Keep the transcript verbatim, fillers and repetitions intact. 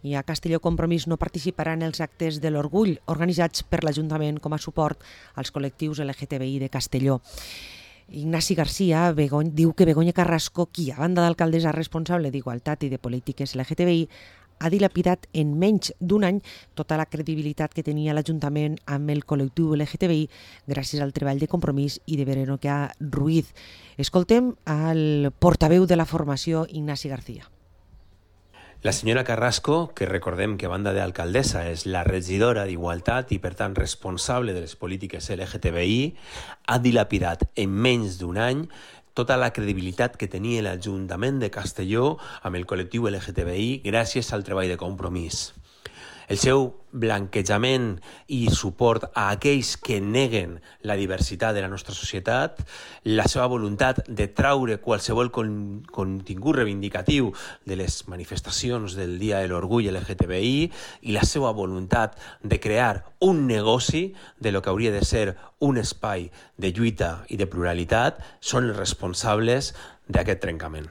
i a Castelló Compromís no participarà en els actes de l'Orgull organitzats per l'Ajuntament com a suport als col·lectius L G T B I de Castelló. Ignasi Garcia Begony, diu que Begoña Carrasco, qui a banda d'alcaldessa responsable d'Igualtat i de Polítiques L G T B I, ha dilapidat en menys d'un any tota la credibilitat que tenia l'Ajuntament amb el col·lectiu L G T B I gràcies al treball de Compromís i de Verónica Ruiz. Escoltem al portaveu de la formació, Ignasi García. La senyora Carrasco, que recordem que a banda d'alcaldessa és la regidora d'Igualtat i per tant responsable de les polítiques L G T B I, ha dilapidat en menys d'un any tota la credibilitat que tenia l'Ajuntament de Castelló amb el col·lectiu L G T B I gràcies al treball de Compromís. El seu blanquejament i suport a aquells que neguen la diversitat de la nostra societat, la seva voluntat de traure qualsevol con contingut reivindicatiu de les manifestacions del Dia de l'Orgull L G T B I i la seva voluntat de crear un negoci de lo que hauria de ser un espai de lluita i de pluralitat són els responsables d'aquest trencament.